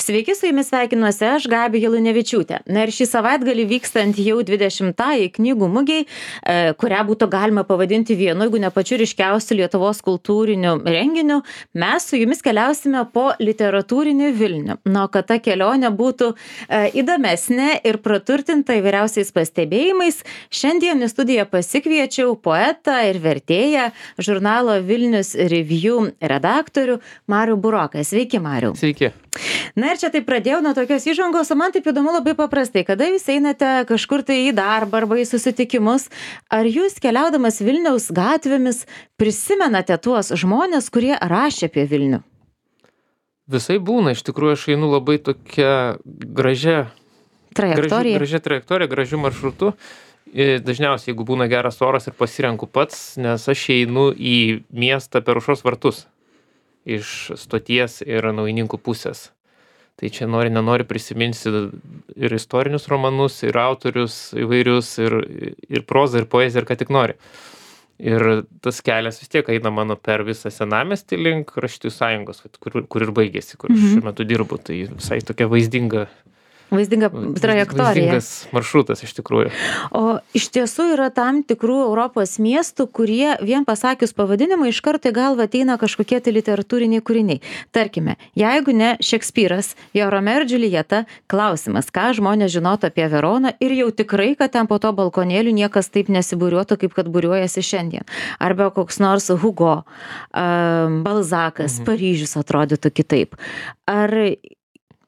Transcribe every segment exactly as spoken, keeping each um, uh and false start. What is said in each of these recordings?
Sveiki, su jumis sveikinuosi aš, Gabija Lunevičiūtė. Na ir šį savaitgalį vykstant jau dvidešimtajai knygų mugei, e, kurią būtų galima pavadinti vienu, jeigu ne pačiu ryškiausiu Lietuvos kultūriniu renginiu, mes su jumis keliausime po literatūrinį Vilnių. Na, kad ta kelionė būtų e, įdomesnė ir praturtinta įvairiausiais pastebėjimais, šiandien į studiją pasikviečiau poetą ir vertėją, žurnalo Vilnius Review redaktorių Marių Buroką. Sveiki, Mariau. Sveiki. Na ir čia taip pradėjau nuo tokios įžangos, o man taip įdomu labai paprastai, kada jūs einate kažkur tai į darbą arba į susitikimus, ar jūs keliaudamas Vilniaus gatvėmis prisimenate tuos žmonės, kurie rašė apie Vilnių? Visai būna, iš tikrųjų aš einu labai tokia gražia Trajektorija. Graži, gražia trajektorija, gražiu maršrutu. Ir dažniausiai, jeigu būna geras oras ir pasirenku pats, nes aš einu į miestą per Aušros vartus iš stoties ir Naujininkų pusės. Tai čia nori, nenori prisiminsi ir istorinius romanus, ir autorius įvairius, ir, ir prozą, ir poeziją, ir ką tik nori. Ir tas kelias vis tiek eina mano per visą senamiestį link Rašytojų sąjungos, kur, kur ir baigėsi, kur Mhm. šiuo metu dirbu. Tai visai tokia vaizdinga, Vaizdinga trajektorija. vaizdingas maršrutas iš tikrųjų. O iš tiesų yra tam tikrų Europos miestų, kurie vien pasakius pavadinimą iš karto į galvą ateina kažkokie tai literatūriniai kūriniai. Tarkime, jeigu ne Šekspyras, jo Romeo ir Džiuljeta, klausimas, ką žmonės žinotų apie Veroną ir jau tikrai, kad ten po to balkonėlių niekas taip nesibūriuotų, kaip kad būriuojasi šiandien. Arba koks nors Hugo, um, Balzakas, Mhm. Paryžius atrodytų kitaip. Ar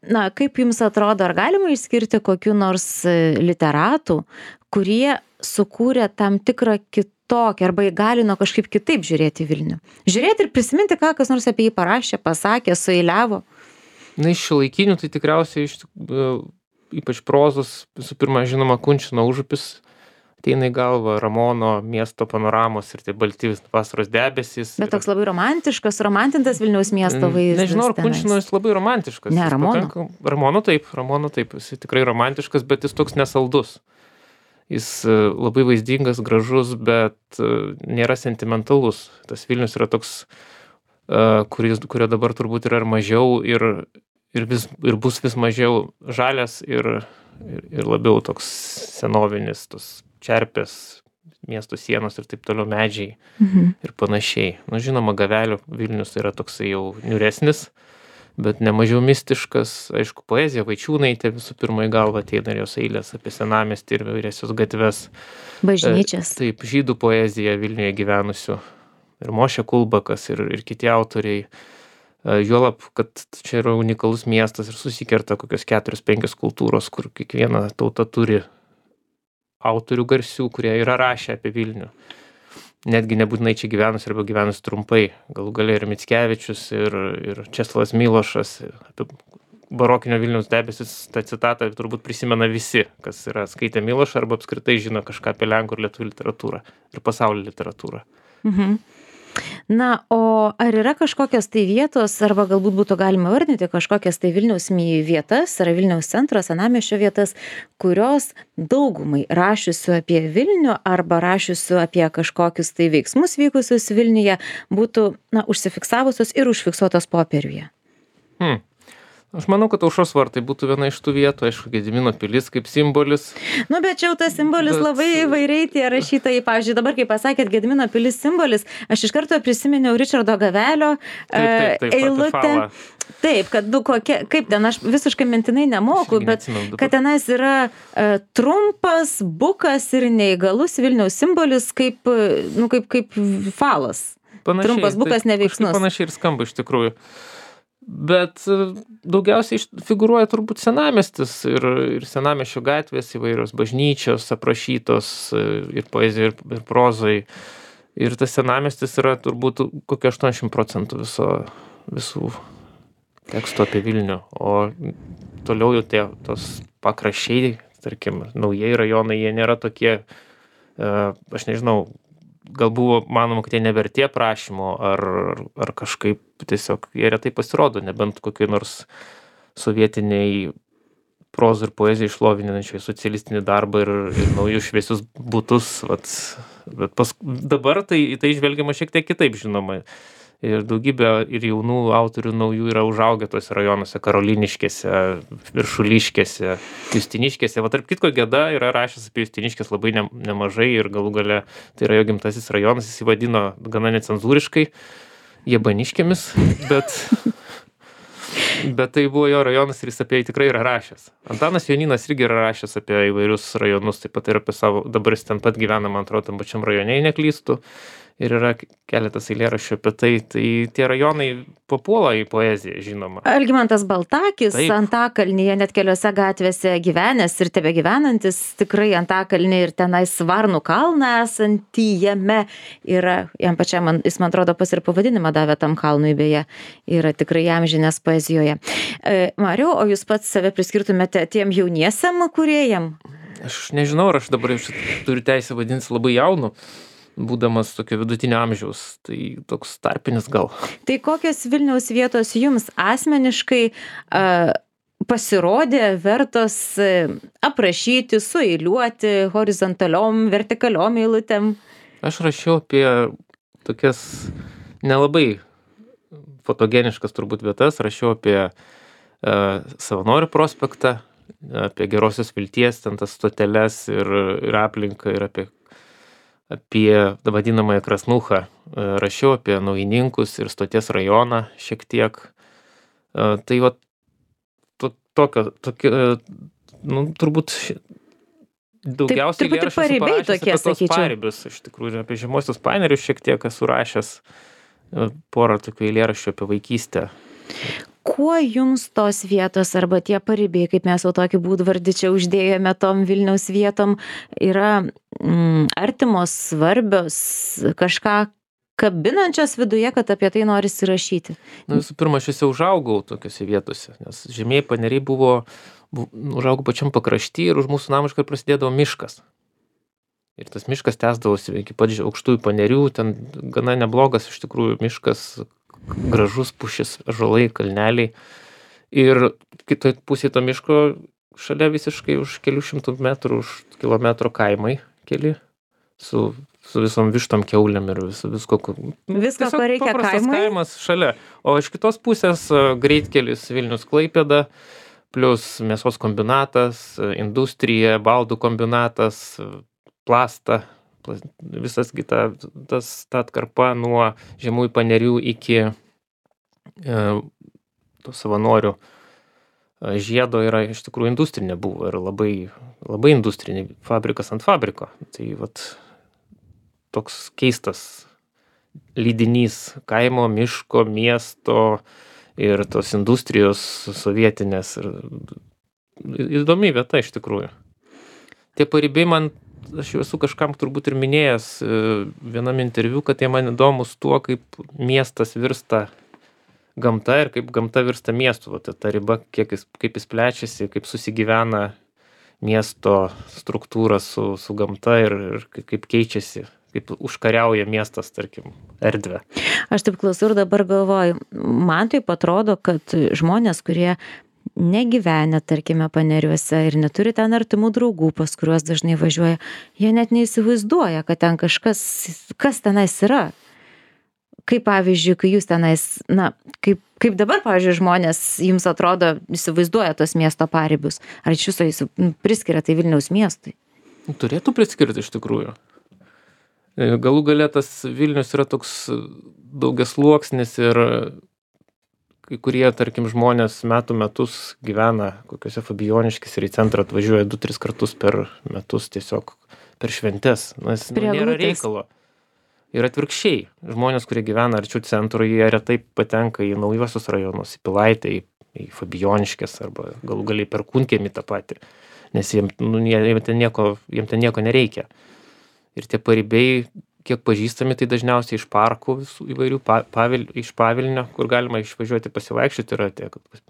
Na, kaip jums atrodo, ar galima išskirti kokių nors e, literatų, kurie sukūrė tam tikrą kitokį arba įgalino kažkaip kitaip žiūrėti į Vilnių? Žiūrėti ir prisiminti, ką kas nors apie jį parašė, pasakė, sueiliavo. Na, iš šiuolaikinių tai tikriausiai iš, tik- ypač prozos, visų pirma, žinoma, Kunčino Užupis ateina į galvą, Ramono miesto panoramos ir tai balti vasaros debesys. Bet toks labai romantiškas, romantintas Vilniaus miesto vaizdas. Nežinau, ar tenais. Kunčino jis labai romantiškas. Ne, Jis Ramono. pakanka- Ramono taip, Ramono taip, jis tikrai romantiškas, bet jis toks nesaldus. Jis e, labai vaizdingas, gražus, bet e, nėra sentimentalus. Tas Vilnius yra toks, e, kuris, kurio dabar turbūt yra ir mažiau ir, ir, vis, ir bus vis mažiau žalias ir, ir, ir labiau toks senovinis, tos čerpės, miesto sienos ir taip toliau medžiai Mhm. ir panašiai. Nu, žinoma, Gavelio Vilnius yra toksai jau niūresnis, bet nemažiau mistiškas. Aišku, poezija, Vaičiūnaitė visų pirma į galvą ateina ir jos eilės apie senamiestį ir įvairiausias gatves. Bažnyčias. E, Taip, žydų poezija Vilniuje gyvenusių. Ir Mošė Kulbakas ir, ir kiti autoriai. E, Juolab, kad čia yra unikalus miestas ir susikerta kokios keturios, penkios kultūros, kur kiekviena tauta turi autorių garsių, kurie yra rašę apie Vilnių. Netgi nebūtinai čia gyvenus arba gyvenus trumpai. Galų gale ir Mickevičius, ir, ir Česlovas Milošas. Apie barokinio Vilniaus debesis, tą citatą turbūt prisimena visi, kas yra skaitę Milošą arba apskritai žino kažką apie lenkų ir lietuvių literatūrą ir pasaulio literatūrą. Mhm. Na, o ar yra kažkokios tai vietos, arba galbūt būtų galima vardinti kažkokias tai Vilniaus mi- vietas, ar Vilniaus centro, senamiesčio vietas, kurios daugumai rašiusių apie Vilnių arba rašiusių apie kažkokius tai veiksmus vykusius Vilniuje būtų, na, užsifiksavusios ir užfiksuotos popieriuje? Hmm. Aš manau, kad Aušros vartai būtų viena iš tų vietų, aišku, Gedimino pilis kaip simbolis. Nu, bet čia jau tas simbolis Bet- labai įvairiai tie rašytojai. Pavyzdžiui, dabar, kai pasakėt Gedimino pilis simbolis, aš iš karto prisiminiau Ričardo Gavelio Taip, taip, taip, e, eilutę. Patifalą. Taip, kad, nu, kokia, kaip ten, aš visiškai mintinai nemoku, Aš irgi bet neatsimenu dabar. kad tenais yra e, trumpas, bukas ir neįgalus Vilniaus simbolis kaip, e, nu, kaip, kaip falas. Panašiai, Trumpas bukas taip, neveiksnus. kažkaip Panašiai ir skamba iš tikrųjų. Bet e, daugiausiai iš- figūruoja turbūt senamiestis ir, ir senamiesčio gatvės įvairios bažnyčios aprašytos e, ir poezijai, ir, ir prozai. Ir tas senamiestis yra turbūt kokia aštuoniasdešimt procentų viso, visų tekstų apie Vilnių. O toliau jau tie tos pakraščiai, tarkim, naujieji rajonai, jie nėra tokie, e, aš nežinau, gal buvo manoma, kad jie nevertė prašymo, ar, ar kažkaip tiesiog jie retai pasirodo, nebent kokiai nors sovietiniai prozą ir poeziją išlovinančiai socialistinį darbą ir, ir naujus šviesius butus. Vat, bet pas, dabar tai, tai žvelgiama šiek tiek kitaip, žinoma. ir daugybė ir jaunų autorių naujų yra užaugę tuose rajonuose, Karoliniškėse, Viršuliškėse, Justiniškėse. Va, tarp kitko, Geda yra rašęs apie Justiniškės labai ne, nemažai ir galų gale tai yra jo gimtasis rajonas, jis įvadino gana necenzūriškai Jabaniškėmis, bet... Bet tai buvo jo rajonas ir jis apie jį tikrai yra rašęs. Antanas Jonynas irgi yra rašęs apie įvairius rajonus, taip pat ir apie savo, dabar jis ten pat gyvena, man atrodo, tam pačiam rajone, jei neklystu. Ir yra keletas eilėraščių apie tai. Tai tie rajonai papuola į poeziją, žinoma. Algimantas Baltakis, Taip. Antakalnyje net keliose gatvėse gyvenęs ir tebe gyvenantis, tikrai Antakalnyje ir tenais Varnų kalną esantį jame yra, jam pačiam, man- jis man atrodo pas ir pavadinimą davė tam kalnui beje, yra tikrai įamžinęs poezijoje. E, Mariau, o jūs pats save priskirtumėte tiem jauniesiam kūrėjam? Aš nežinau, ar aš dabar jau šit- turiu teisę vadintis labai jaunu, būdamas tokio vidutinio amžiaus. Tai toks tarpinis gal. Tai kokios Vilniaus vietos jums asmeniškai a, pasirodė vertos e, aprašyti, sueiliuoti horizontaliom, vertikaliom eilutėm? Aš rašiau apie tokias nelabai fotogeniškas turbūt vietas, rašiau apie e, Savanorių prospektą, apie Gerosios Vilties, ten tas stoteles ir, ir aplinką, ir apie, apie vadinamąją Krasnuchą. E, rašiau apie Naujininkus ir Stoties rajoną šiek tiek. E, tai va, to, tokio, tokio, e, nu, turbūt ši- daugiausiai truputį eilėraščių esu paribiai parašęs tokie, apie tos sakyčiau. paribius, iš tikrųjų, ir apie žemuosius panerius šiek tiek esu rašęs. E, porą tokių eilėraščių apie vaikystę. Kuo jums tos vietos arba tie paribiai, kaip mes jau tokį būdvardį čia uždėjome tom Vilniaus vietom, yra mm, artimos, svarbios, kažką kabinančios viduje, kad apie tai norisi rašyti? Na, visų pirma, aš juose užaugau tokiuose vietose, nes žemieji paneriai buvo, bu, užaugau pačiam pakrašty ir už mūsų namų iškart prasidėdavo miškas. Ir tas miškas tęsdavosi iki pat že- aukštųjų panerių, ten gana neblogas iš tikrųjų miškas, gražus pušis, ąžuolai, kalneliai. Ir kitoj pusėje to miško šalia visiškai už kelių šimtų metrų, už kilometro kaimai keli, su, su visom vištom, kiaulėm ir vis, visko, ko- nu, Visko, tiesiog ko reikia paprastas kaimui? kaimas šalia. O iš kitos pusės e, greitkelis Vilnius Klaipėda, plus mėsos kombinatas, e, industrija, baldų kombinatas, e, plasta, plas- visas kita, tas, ta atkarpa nuo žemųjų panerių iki e, tų Savanorių e, žiedo yra iš tikrųjų industrinė buvo ir labai, labai industrinė, fabrikas ant fabriko. Tai vat toks keistas lydinys kaimo, miško, miesto ir tos industrijos sovietinės. Ir įdomi vieta iš tikrųjų. Tie paribiai man, aš jau esu kažkam turbūt ir minėjęs e, vienam interviu, kad jie man įdomus tuo, kaip miestas virsta gamta ir kaip gamta virsta miestu. Vat ta riba, kiek jis, kaip jis plečiasi, kaip susigyvena miesto struktūra su, su gamta ir, ir kaip- kaip keičiasi, kaip užkariauja miestas, tarkim, erdvę. Aš taip klausau ir dabar galvoju, man taip atrodo, kad žmonės, kurie negyvenę, tarkime, paneriuose ir neturi ten artimų draugų, pas kuriuos dažnai važiuoja, jie net neįsivaizduoja, kad ten kažkas, kas tenais yra. Kaip pavyzdžiui, kai jūs tenais, na, kaip, kaip dabar, pavyzdžiui, žmonės jums atrodo, įsivaizduoja tos miesto paribius. Ar iš viso jūs nu, priskiria tai Vilniaus miestui? Turėtų priskirti iš tikrųjų. E, Galų gale tas Vilnius yra toks daugiasluoksnis ir kai kurie, tarkim, žmonės metų metus gyvena kokiuose Fabijoniškėse ir į centrą atvažiuoja du, tris kartus per metus tiesiog per šventes. Nes nu, Prie nėra eglutės. reikalo. Ir atvirkščiai. Žmonės, kurie gyvena arčiau centro, jie retai patenka į naujuosius rajonus, į Pilaitę, į, į Fabijoniškės arba galų galiai per Kunkiemį tą patį. Nes jiem, nu, jie, jiem, ten nieko, jiem ten nieko nereikia. Ir tie paribiai, kiek pažįstami, tai dažniausiai iš parkų visų įvairių, pa, pavil, iš Pavilnio, kur galima išvažiuoti pasivaikščioti, yra tie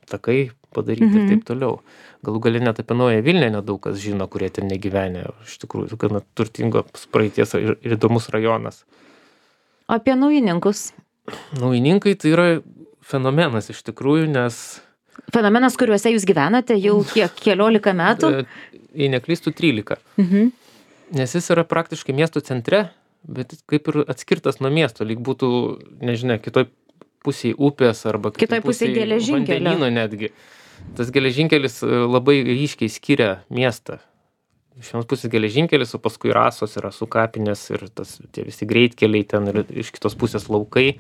takai padaryti Mhm. ir taip toliau. Galų gale net apie Naująją Vilnią nedaug kas žino, kurie ten negyvenę. Iš tikrųjų, gana turtingos praeities ir, ir įdomus rajonas. O apie naujininkus? Naujininkai tai yra fenomenas iš tikrųjų, nes, Fenomenas, kuriuose jūs gyvenate jau kiek, keliolika metų? e, jei neklystų, trylika. Mhm. Nes jis yra praktiškai miesto centre, bet kaip ir atskirtas nuo miesto, lyg būtų, nežinia, kitoj pusėj upės arba Kitoj pusėj geležinkelio. vandenyno netgi. Tas geležinkelis labai ryškiai skiria miestą. Iš vienos pusės geležinkelis, o paskui Rasos ir Rasų kapinės ir tas, tie visi greitkeliai ten ir iš kitos pusės laukai.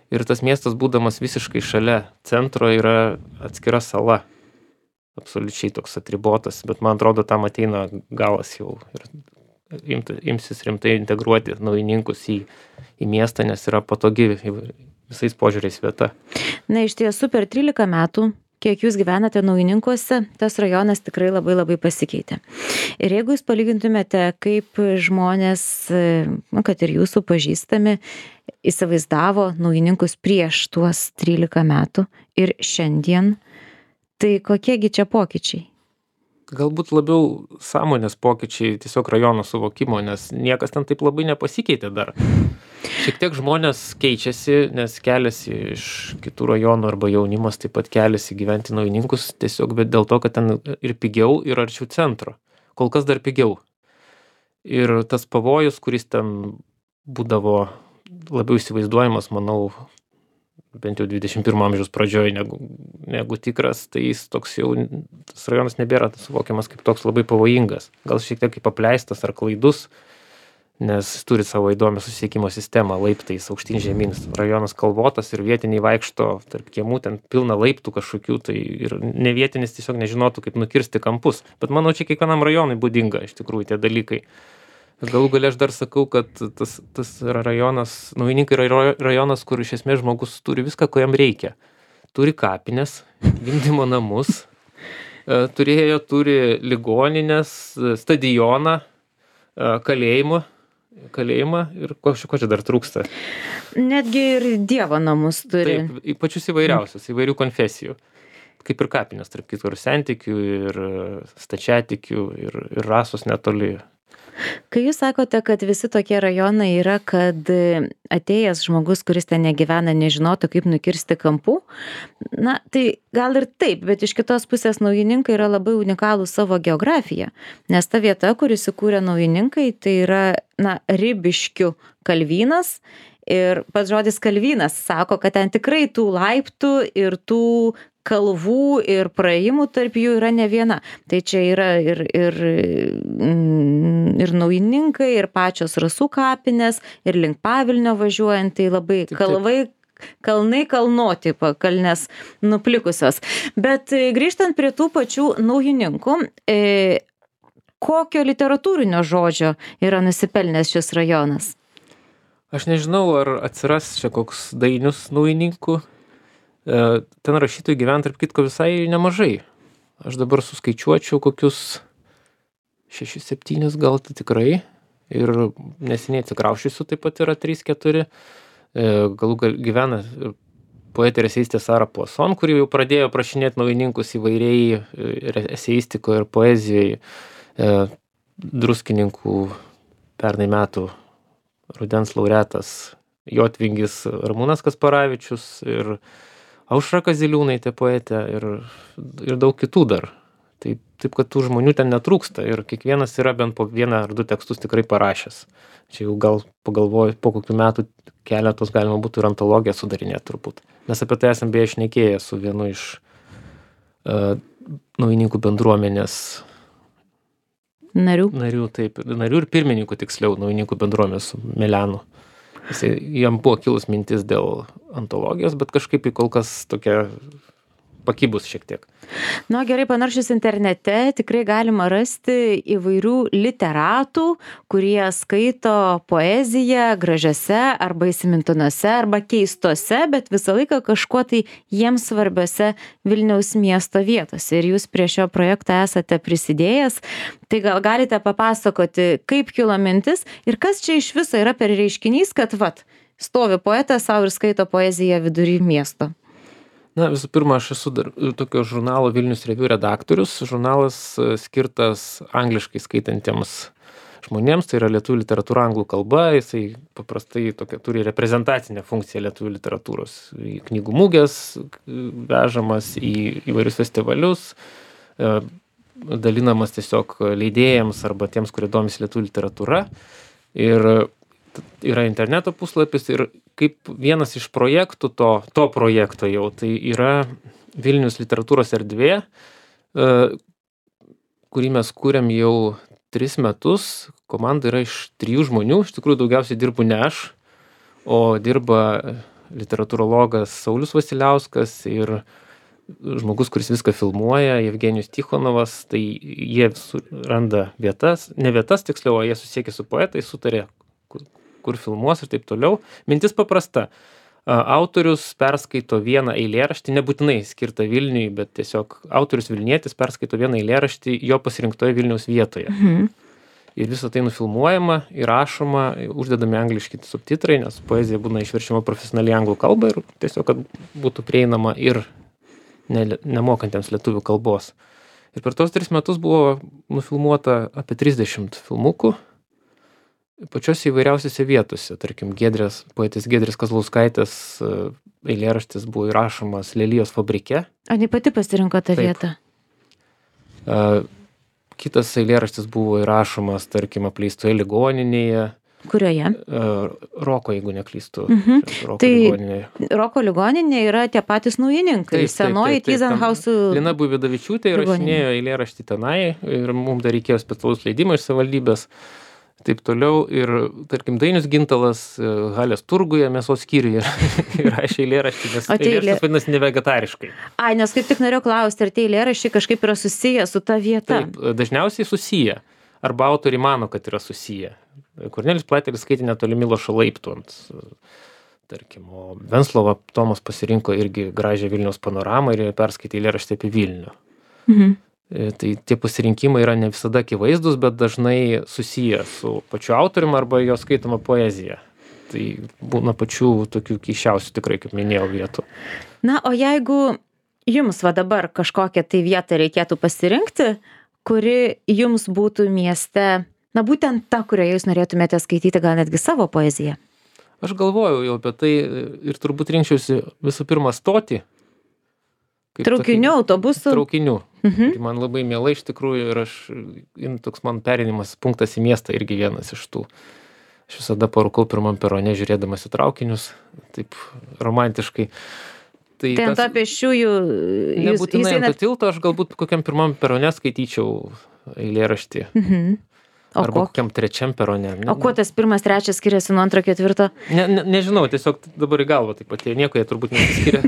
Ir tas miestas, būdamas visiškai šalia centro, yra atskira sala. Absoliučiai toks atribotas, bet man atrodo, tam ateina galas jau ir imti, imsis rimtai integruoti naujininkus į, į miestą, nes yra patogi visais požiūriais vieta. Na, iš tiesų per trylika metų, kiek jūs gyvenate Naujininkuose, tas rajonas tikrai labai labai pasikeitė. Ir jeigu jūs palygintumėte, kaip žmonės, nu, kad ir jūsų pažįstami, įsivaizdavo Naujininkus prieš tuos trylika metų ir šiandien, tai kokiegi čia pokyčiai? Galbūt labiau sąmonės pokyčiai tiesiog rajono suvokimo, nes niekas ten taip labai nepasikeitė dar. Šiek tiek žmonės keičiasi, nes keliasi iš kitų rajonų arba jaunimas taip pat keliasi gyventi Naujininkus tiesiog, bet dėl to, kad ten ir pigiau, ir arčiau centro. Kol kas dar pigiau. Ir tas pavojus, kuris ten būdavo labiau įsivaizduojamas, manau, bent jau dvidešimt pirmo amžiaus pradžioje negu, negu tikras, tai jis toks jau, tas rajonas nebėra suvokiamas kaip toks labai pavojingas. Gal šiek tiek kaip apleistas ar klaidus, nes turi savo įdomią susisiekimo sistemą laiptais, aukštyn žemyn. Rajonas kalvotas ir vietiniai vaikšto tarp kiemų, ten pilna laiptų kažkokių, tai ir ne vietinis tiesiog nežinotų, kaip nukirsti kampus. Bet manau, čia kiekvienam rajonui būdinga iš tikrųjų tie dalykai. Galų gale aš dar sakau, kad tas, tas rajonas, Naujininkai yra rajonas, kur iš esmės žmogus turi viską, ko jam reikia. Turi kapines, gimdymo namus, turėjo, turi ligoninės, stadioną, kalėjimą, kalėjimą ir ko, ko čia dar trūksta. Netgi ir Dievo namus turi. Taip, pačius įvairiausius, įvairių konfesijų. Kaip ir kapinės, tarp kitų ir sentikių, ir stačiatikių, ir, ir Rasos netoli. Kai jūs sakote, kad visi tokie rajonai yra, kad atėjęs žmogus, kuris ten negyvena, nežinotų, kaip nukirsti kampų, na, tai gal ir taip, bet iš kitos pusės Naujininkai yra labai unikalų savo geografiją, nes ta vieta, kur įsikūrė Naujininkai, tai yra, na, Ribiškių kalvynas. Ir pats žodis kalvynas sako, kad ten tikrai tų laiptų ir tų kalvų ir praėjimų tarp jų yra ne viena. Tai čia yra ir, ir, ir Naujininkai, ir pačios Rasų kapinės, ir link Pavilnio važiuojant, tai labai taip, kalvai, kalnai kalnoti, kalnės nuplikusios. Bet grįžtant prie tų pačių Naujininkų, e, kokio literatūrinio žodžio yra nusipelnęs šis rajonas? Aš nežinau, ar atsiras čia koks Dainius Naujininkų. Ten rašytojų gyvena, tarp kitko, visai nemažai. Aš dabar suskaičiuočiau kokius šešis septynis gal tai tikrai. Ir neseniai atsikrauščiusių taip pat yra trys keturi. Galų gal gyvena poetė ir eseistė Sara Puason, kuri jau pradėjo prašinėti Naujininkus įvairiai ir eseistikoje, ir poezijoje. Druskininkų pernai metų rudens laureatas Jotvingis Ramūnas Kasparavičius ir Aušra Kaziliūnaitė poetė ir, ir daug kitų dar. Tai, taip, kad tų žmonių ten netrūksta ir kiekvienas yra bent po vieną ar du tekstus tikrai parašęs. Čia jau gal pagalvoju, po kokių metų keletos galima būtų ir antologiją sudarinėti turbūt. Mes apie tai esam beje šnekėję su vienu iš uh, Naujininkų bendruomenės narių. Narių, taip, narių ir pirmininkų tiksliau Naujininkų bendruomenės su Melenu. Jis, jam buvo kilus mintis dėl antologijos, bet kažkaip į kol kas tokia pakibus šiek tiek. Nu, gerai, panaršius internete tikrai galima rasti įvairių literatų, kurie skaito poeziją gražiose arba įsimintinose arba keistose, bet visą laiką kažkuo tai jiems svarbiose Vilniaus miesto vietose. Ir jūs prie šio projekto esate prisidėjęs, tai gal galite papasakoti, kaip kilo mintis ir kas čia iš viso yra per reiškinys, kad vat, stovi poetas savo ir skaito poeziją vidury miesto. Na, visų pirma, aš esu dar tokio žurnalo Vilnius Review redaktorius. Žurnalas skirtas angliškai skaitantiems žmonėms, tai yra lietuvių literatūra anglų kalba, jisai paprastai tokia, turi reprezentacinę funkciją lietuvių literatūros. Į knygų mugės vežamas, į įvairius festivalius, dalinamas tiesiog leidėjams arba tiems, kurie domisi lietuvių literatūra. Ir yra interneto puslapis ir kaip vienas iš projektų to, to projekto jau, tai yra Vilnius literatūros erdvė, kurį mes kūrėm jau tris metus. Komanda yra iš trijų žmonių, iš tikrųjų daugiausiai dirbu ne aš, o dirba literatūrologas Saulius Vasiliauskas ir žmogus, kuris viską filmuoja, Jevgenijus Tichonovas. Tai jie randa vietas, ne vietas tiksliau, o jie susiekia su poetais, sutarė, kur, kur filmuos ir taip toliau. Mintis paprasta. Autorius perskaito vieną eilėraštį, nebūtinai skirtą Vilniui, bet tiesiog autorius Vilnietis perskaito vieną eilėraštį jo pasirinktoje Vilniaus vietoje. Mhm. Ir visą tai nufilmuojama, įrašoma, uždedami angliški subtitrai, nes poezija būna išverčiama profesionaliai anglų kalbą ir tiesiog, kad būtų prieinama ir ne, nemokantiems lietuvių kalbos. Ir per tos tris metus buvo nufilmuota apie trisdešimt filmukų pačiose įvairiausiose vietose. Tarkim, Giedrės, poetės Giedrės Kazlauskaitės eilėraštis buvo įrašomas Lelijos fabrike. Ar ne pati pasirinko tą Taip. vietą? Uh, kitas eilėraštis buvo įrašomas, tarkim, apleistoje ligoninėje. Kurioje? Uh, Roko, jeigu neklystu. Mhm. Roko Tai ligoninėje. Roko ligoninė yra tie patys naujininkai. Taip, taip, Senoji taip, taip. Tyzenhausų. Lina Buividavičiūtė įrašinėjo eilėraštį tenai ir mums dar reikėjo specialaus leidimo iš savivaldybės. Taip toliau ir, tarkim, Dainius Gintalas Halės turguje mėsos skyriuje įrašė eilėraštį, nes O tie eilėraštis eilė- vadinasi nevegetariškai. Ai, nes kaip tik norėjau klausti, ar tie eilėraščiai kažkaip yra susiję su ta vieta? Taip, dažniausiai susiję. Arba autoriai mano, kad yra susiję. Kornelis Platelis skaitė netoli Milošo laiptų ant, tarkim, o Venclova Tomas pasirinko irgi gražią Vilniaus panoramą ir perskaitė eilėraštį apie Vilnių. Mhm. Tai tie pasirinkimai yra ne visada akivaizdus, bet dažnai susiję su pačiu autorium arba jo skaitoma poezija. Tai būna pačių tokių keiščiausių, tikrai, kaip minėjau, vietų. Na, o jeigu jums va dabar kažkokią tai vietą reikėtų pasirinkti, kuri jums būtų mieste, na būtent ta, kurioje jūs norėtumėte skaityti gal netgi savo poeziją? Aš galvojau jau apie tai ir turbūt rinkčiausi visų pirma stoti. Kaip Traukinių, tokį- autobusų? Traukinių. Mhm. Tai man labai miela iš tikrųjų ir aš, in, toks man perinimas punktas į miestą irgi vienas iš tų. Aš visada parūkau pirmam perone žiūrėdamas į traukinius, taip romantiškai. Tai ant to pėsčiųjų jūs, Nebūtinai jūs ant einat... to tilto, aš galbūt kokiam pirmam perone skaityčiau eilėraštį. Mhm. O, Arba ko... kokiam trečiam perone. Ne, o kuo tas pirmas, trečias skiriasi nuo antro, ketvirto? ne, ne, nežinau, tiesiog dabar į galvą taip pat, nieko jie turbūt nesiskiria.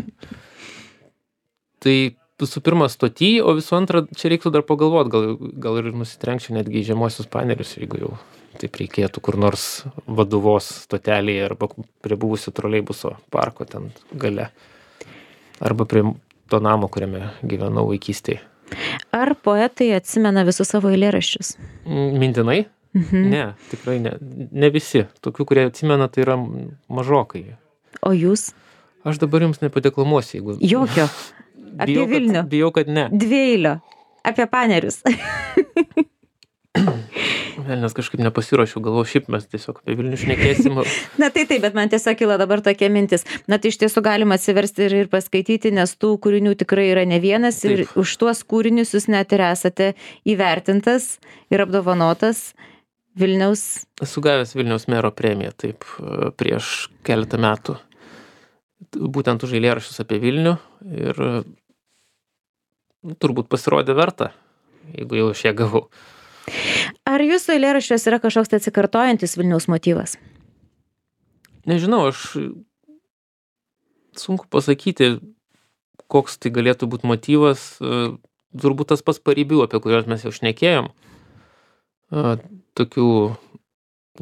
Tai visų pirma stoty, o visų antra, čia reiktų dar pagalvoti, gal, gal ir nusitrenkčiau netgi į žemuosius panerius, jeigu jau taip reikėtų kur nors Vaduvos stotelėje arba prie buvusio troleibuso parko ten gale. Arba prie to namo, kuriame gyvenau vaikystėje. Ar poetai atsimena visus savo eilėraščius? Mintinai? Mhm. Ne, tikrai ne. Ne visi. Tokių, kurie atsimena, tai yra mažokai. O jūs? Aš dabar jums nepadeklamuosiu, jeigu... Jokio. Apie bijau, Vilnių. Kad, bijau, kad ne. Dvieilio. Apie panerius. Velnias, kažkaip nepasiruošiau, galvoju, šiaip mes tiesiog apie Vilnių šnekėsim. Na tai taip, bet man tiesiog kilo dabar tokia mintis. Na tai iš tiesų galima atsiversti ir, ir paskaityti, nes tų kūrinių tikrai yra ne vienas ir Taip. už tuos kūrinius jūs net ir esate įvertintas ir apdovanotas Vilniaus. Esu gavęs Vilniaus mero premiją, taip, prieš keletą metų. Būtent už eilėraščius apie Vilnių ir nu, turbūt pasirodė verta, jeigu jau aš ją gavau. Ar jūsų eilėraščiuose yra kažkoks tai atsikartojantis Vilniaus motyvas? Nežinau, aš sunku pasakyti, koks tai galėtų būti motyvas. Turbūt tas pats paribių, apie kuriuos mes jau šnekėjom. Tokių,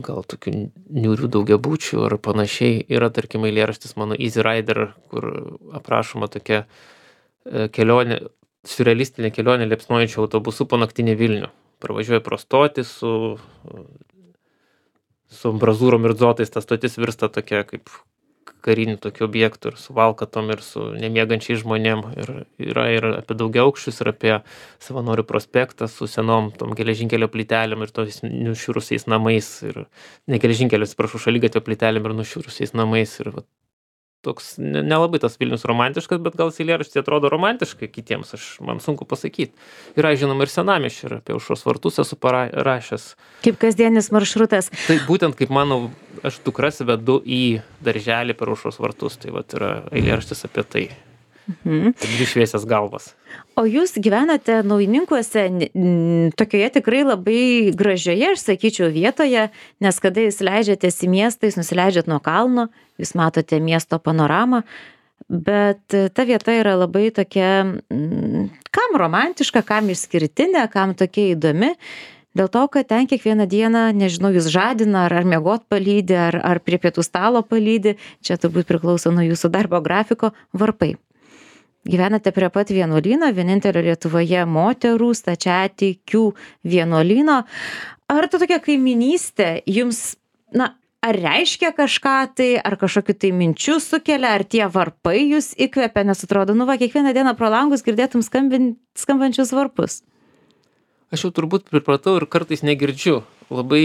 gal tokių niūrių daugiabučių ar panašiai. Yra, tarkim, eilėraštis mano Easy Rider, kur aprašoma tokia kelionė, siurrealistinė kelionė liepsnojančių autobusų po naktinį Vilnių. Pravažiuoja pro stotį su, su ambrazūrom ir dzotais, ta stotis virsta tokia kaip karinių tokių objektų ir su valkatom ir su nemiegančiais žmonėm. Ir yra ir apie daugiaaukščius, ir apie Savanorių prospektą su senom tom geležinkelio plytelėm ir tos nušiurusiais namais. Ir ne geležinkelio, atsiprašau, šaligatvio plytelėm ir nušiurusiais namais. Ir va, toks ne- nelabai tas Vilnius romantiškas, bet gal eilėraštis atrodo romantiškai kitiems, aš man sunku pasakyti. Yra žinoma ir senamiesčio, ir apie Aušros vartus esu parašęs. Kaip kasdienis maršrutas. Tai būtent kaip mano, aš dukras vedu į darželį per Aušros vartus, tai vat yra eilėraštis apie tai. Mhm. Dvi šviesias galvas. O jūs gyvenate Naujininkuose n- tokioje tikrai labai gražioje, aš sakyčiau, vietoje, nes kada jūs leidžiatės į miestą, jūs nusileidžiat nuo kalno, jūs matote miesto panoramą, bet e, ta vieta yra labai tokia, mm, kam romantiška, kam išskirtinė, kam tokia įdomi, dėl to, kad ten kiekvieną dieną, nežinau, jūs žadina, ar, ar miegot palydi, ar, ar prie pietų stalo palydi, čia turbūt priklauso nuo jūsų darbo grafiko, varpai. Gyvenate prie pat vienuolyno, vienintelio Lietuvoje moterų stačiatikių vienuolyno. Ar ta tokia kaiminystė jums, na, ar reiškia kažką tai, ar kažkokiu tai minčių sukelia, ar tie varpai jūs įkvepia, nes atrodo, nu va, kiekvieną dieną pro langus girdėtum skambin, skambančius varpus? Aš jau turbūt pripratau ir kartais negirdžiu. Labai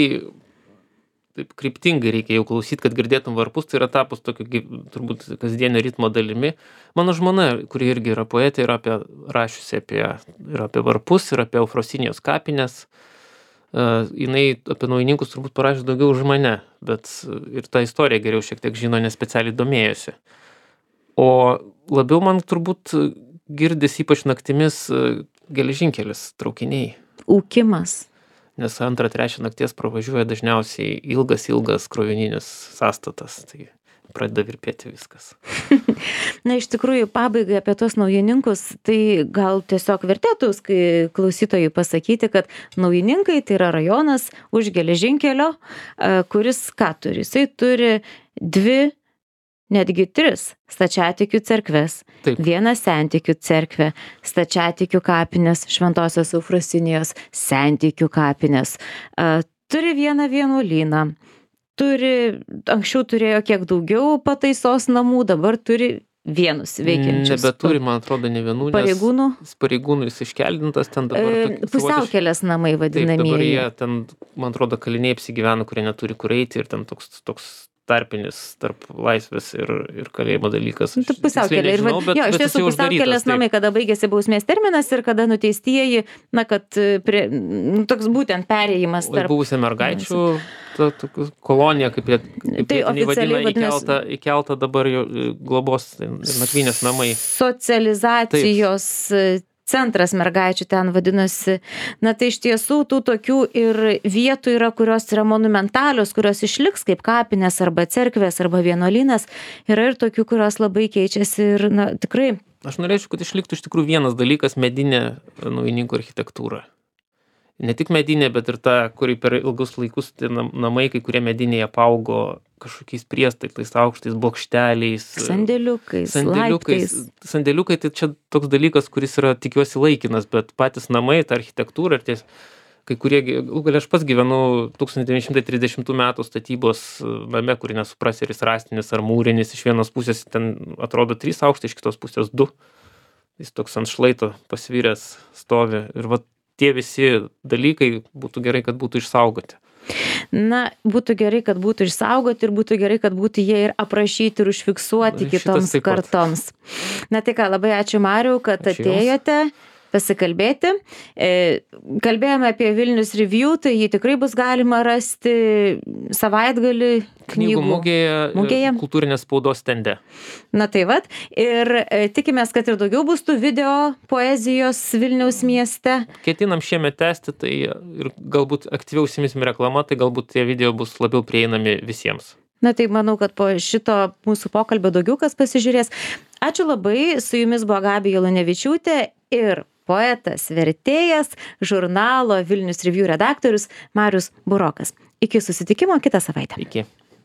taip kryptingai reikia jau klausyti, kad girdėtum varpus, tai yra tapus tokiu gy- turbūt kasdienio ritmo dalimi. Mano žmona, kuri irgi yra poetė, yra apie, rašiusi apie, ir apie varpus, ir apie Eufrosinijos kapines. Uh, jinai apie Naujininkus turbūt parašė daugiau už mane, bet uh, ir tą istoriją geriau šiek tiek žino, nes specialiai domėjosi. O labiau man turbūt uh, girdis ypač naktimis uh, geležinkelis, traukiniai. Ūkimas. Nes antrą, trečią nakties pravažiuoja dažniausiai ilgas, ilgas krovininis sąstatas. Tai pradeda virpėti viskas. Na, iš tikrųjų, pabaigai apie tuos Naujininkus, tai gal tiesiog vertėtų kai klausytojui pasakyti, kad Naujininkai tai yra rajonas už geležinkelio, e, kuris ką turi? Jisai turi dvi, netgi tris stačiatikių cerkves. Taip. Vieną sentikių cerkvę, stačiatikių kapines, Šventosios Eufrosinijos sentikių kapines. E, Turi vieną vienuolyną. Turi, anksčiau turėjo kiek daugiau pataisos namų, dabar turi vienus veikiančius. Nebeturi, man atrodo, ne vienų, nes Pareigūnų. pareigūnų jis iškeldintas ten dabar. E, tokie Pusiaukelės namai Taip, dabar vadinamieji. jie ten, man atrodo, kaliniai apsigyvena, kurie neturi kur eiti ir ten toks, toks tarpinis tarp laisvės ir, ir kalėjimo dalykas. Nu, tai pusiaukelė. Ir, Nežinau, va- bet, jo, iš bet jis tiesų jau uždarytas, pusiaukelės taip. namai, kada baigėsi bausmės terminas ir kada nuteistieji, na, kad e, prie, nu, toks būtent perėjimas O tarp. buvusi mergaičių ta, tokia kolonija, kaip jie kaip Tai vietiniai vadina, oficialiai vadinasi- įkelta, įkelta dabar jau e, globos tai nakvynės namai. Socializacijos e, centras mergaičių ten vadinasi. Na tai iš tiesų tų tokių ir vietų yra, kurios yra monumentalios, kurios išliks kaip kapinės arba cerkvės arba vienuolynas. Yra ir tokių, kurios labai keičiasi ir, na, tikrai. Aš norėčiau, kad išliktų iš tikrųjų vienas dalykas - medinė Naujininkų architektūra. Ne tik medinė, bet ir ta, kuri per ilgus laikus tai nam- namai, kai kurie mediniai apaugo kažkokiais priestatais, aukštais bokšteliais. Sandėliukais, Sandėliukais. laiptais. Sandėliukai tai čia toks dalykas, kuris yra, tikiuosi, laikinas, bet patys namai, ta architektūra ir ties, kai kurie, galų gale aš pats gyvenu tūkstantis devyni šimtai trisdešimtų metų statybos name, kurį nesuprasi, ar jis rąstinis ar mūrinis, iš vienos pusės ten atrodo trys aukštai, iš kitos pusės du. Jis toks ant šlaito pasviręs stovi ir va tie visi dalykai būtų gerai, kad būtų išsaugoti. Na, būtų gerai, kad būtų išsaugoti ir būtų gerai, kad būtų jie ir aprašyti ir užfiksuoti Šitas kitoms taip pat. kartoms. Na tai ką, labai ačiū Mariau, kad Ačiū jums. atėjote pasikalbėti. E, kalbėjome apie Vilnius Review, tai jį tikrai bus galima rasti savaitgalį Knygų mugėje, mugėje. kultūrinės spaudos stende. Na tai vat, ir e, tikimės, kad ir daugiau bus tų video poezijos Vilniaus mieste. Ketinam šiemet tęsti, tai ir galbūt aktyviau užsimsim reklama, tai galbūt tie video bus labiau prieinami visiems. Na tai manau, kad po šito mūsų pokalbio daugiau kas pasižiūrės. Ačiū labai, su jumis buvo Gabija Lunevičiūtė ir poetas, vertėjas, žurnalo Vilnius Review redaktorius Marius Burokas. Iki susitikimo kitą savaitę. Iki.